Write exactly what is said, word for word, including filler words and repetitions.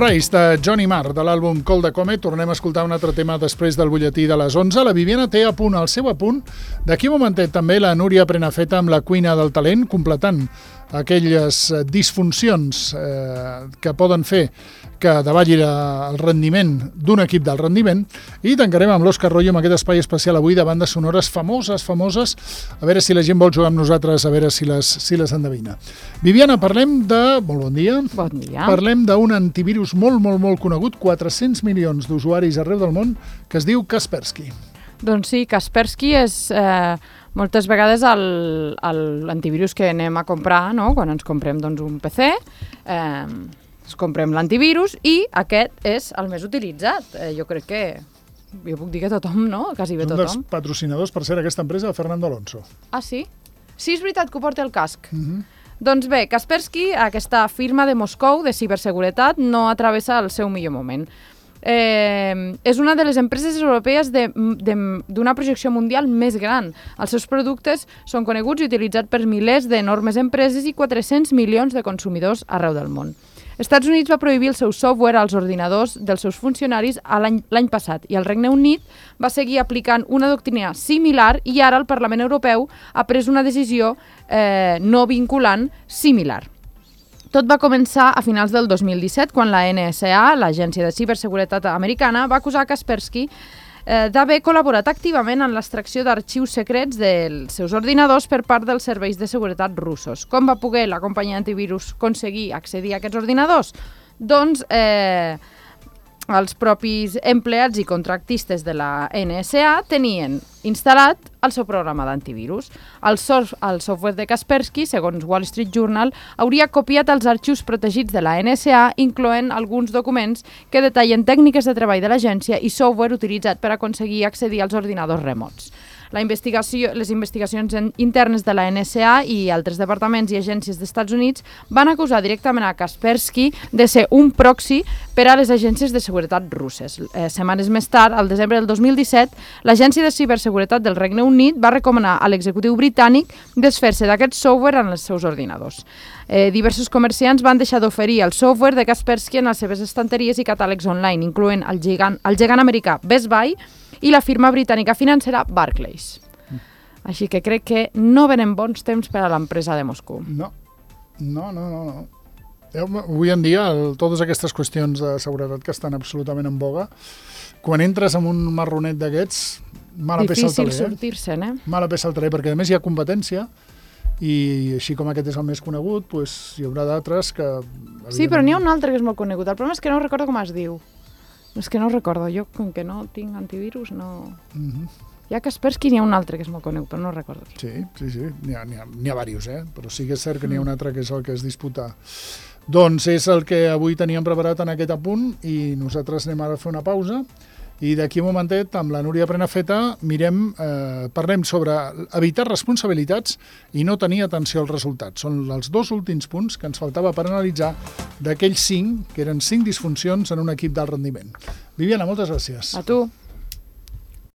Rise, de Johnny Marr, de l'àlbum Call the Comet. Tornem a escoltar un altre tema després del butlletí de les onze. La Viviana té a punt el seu apunt. D'aquí un momentet també la Núria Prenafeta amb la cuina del talent, completant aquelles disfuncions eh, que poden fer que davalli el rendiment d'un equip del rendiment, i tancarem amb l'Òscar Royo amb aquest espai especial avui de bandes sonores famoses, famoses, a veure si la gent vol jugar amb nosaltres, a veure si les, si les endevina. Viviana, parlem de... Molt bon dia. Bon dia. Parlem d'un antivirus molt, molt, molt conegut, quatre-cents milions d'usuaris arreu del món, que es diu Kaspersky. Doncs sí, Kaspersky és eh, moltes vegades l'antivirus que anem a comprar, no? Quan ens comprem doncs, un P C, eh, ens comprem l'antivirus i aquest és el més utilitzat. Eh, jo crec que, jo puc dir que tothom, no? Quasi bé tothom. Un dels patrocinadors, per ser aquesta empresa, de Fernando Alonso. Ah, sí? Sí, és veritat que ho porta el casc. Uh-huh. Doncs bé, Kaspersky, aquesta firma de Moscou de ciberseguretat, no atravessa el seu millor moment. Eh, és una de les empreses europees d'una projecció mundial més gran. Els seus productes són coneguts i utilitzats per milers d'enormes empreses i quatre-cents milions de consumidors arreu del món. Estats Units va prohibir el seu software als ordinadors dels seus funcionaris l'any passat i el Regne Unit va seguir aplicant una doctrina similar i ara el Parlament Europeu ha pres una decisió eh, no vinculant similar. Tot va començar a finals del dos mil disset, quan la N S A, l'Agència de Ciberseguretat americana, va acusar Kaspersky eh, d'haver col·laborat activament en l'extracció d'arxius secrets dels seus ordinadors per part dels serveis de seguretat russos. Com va poder la companyia antivirus aconseguir accedir a aquests ordinadors? Doncs eh, els propis empleats i contractistes de la N S A tenien instal·lat el seu programa d'antivirus. El, sof el software de Kaspersky, segons Wall Street Journal, hauria copiat els arxius protegits de la N S A, incloent alguns documents que detallen tècniques de treball de l'agència i software utilitzat per aconseguir accedir als ordinadors remots. La investigació, les investigacions internes de la N S A i altres departaments i agències dels Estats Units van acusar directament a Kaspersky de ser un proxy per a les agències de seguretat russes. Eh, setmanes més tard, al desembre del dos mil disset, l'Agència de Ciberseguretat del Regne Unit va recomanar a l'executiu britànic desfer-se d'aquest software en els seus ordinadors. Eh, diversos comerciants van deixar d'oferir el software de Kaspersky en les seves estanteries i catàlegs online, incloent el gegant, el gegant americà Best Buy i la firma britànica financera Barclays. Mm. Així que crec que no venen bons temps per a l'empresa de Moscou. No, no, no, no. no. Avui en dia, el, totes aquestes qüestions de seguretat que estan absolutament en boga, quan entres en un marronet d'aquests, mala peça al taler. Difícil sortir-se'n, eh? Mala peça al taler, perquè a més hi ha competència, i així com aquest és el més conegut, pues, hi haurà d'altres que... Sí, però n'hi ha un altre que és molt conegut. El problema és que no recordo com es diu. És que no recordo, jo com que no tinc antivirus no... Uh-huh. Hi ha Kaspersky, n'hi ha un altre que és molt conegut, però no recordo. Sí, sí, sí, n'hi ha, n'hi ha, n'hi ha diversos, eh? Però sí que és cert que n'hi ha un altre que és el que es disputa. Doncs és el que avui teníem preparat en aquest apunt i nosaltres anem ara a fer una pausa i d'aquí un momentet amb la Núria Prenafeta mirem, eh, parlem sobre evitar responsabilitats i no tenir atenció als resultats. Són els dos últims punts que ens faltava per analitzar d'aquells cinc, que eren cinc disfuncions en un equip d'alt rendiment. Viviana, moltes gràcies. A tu.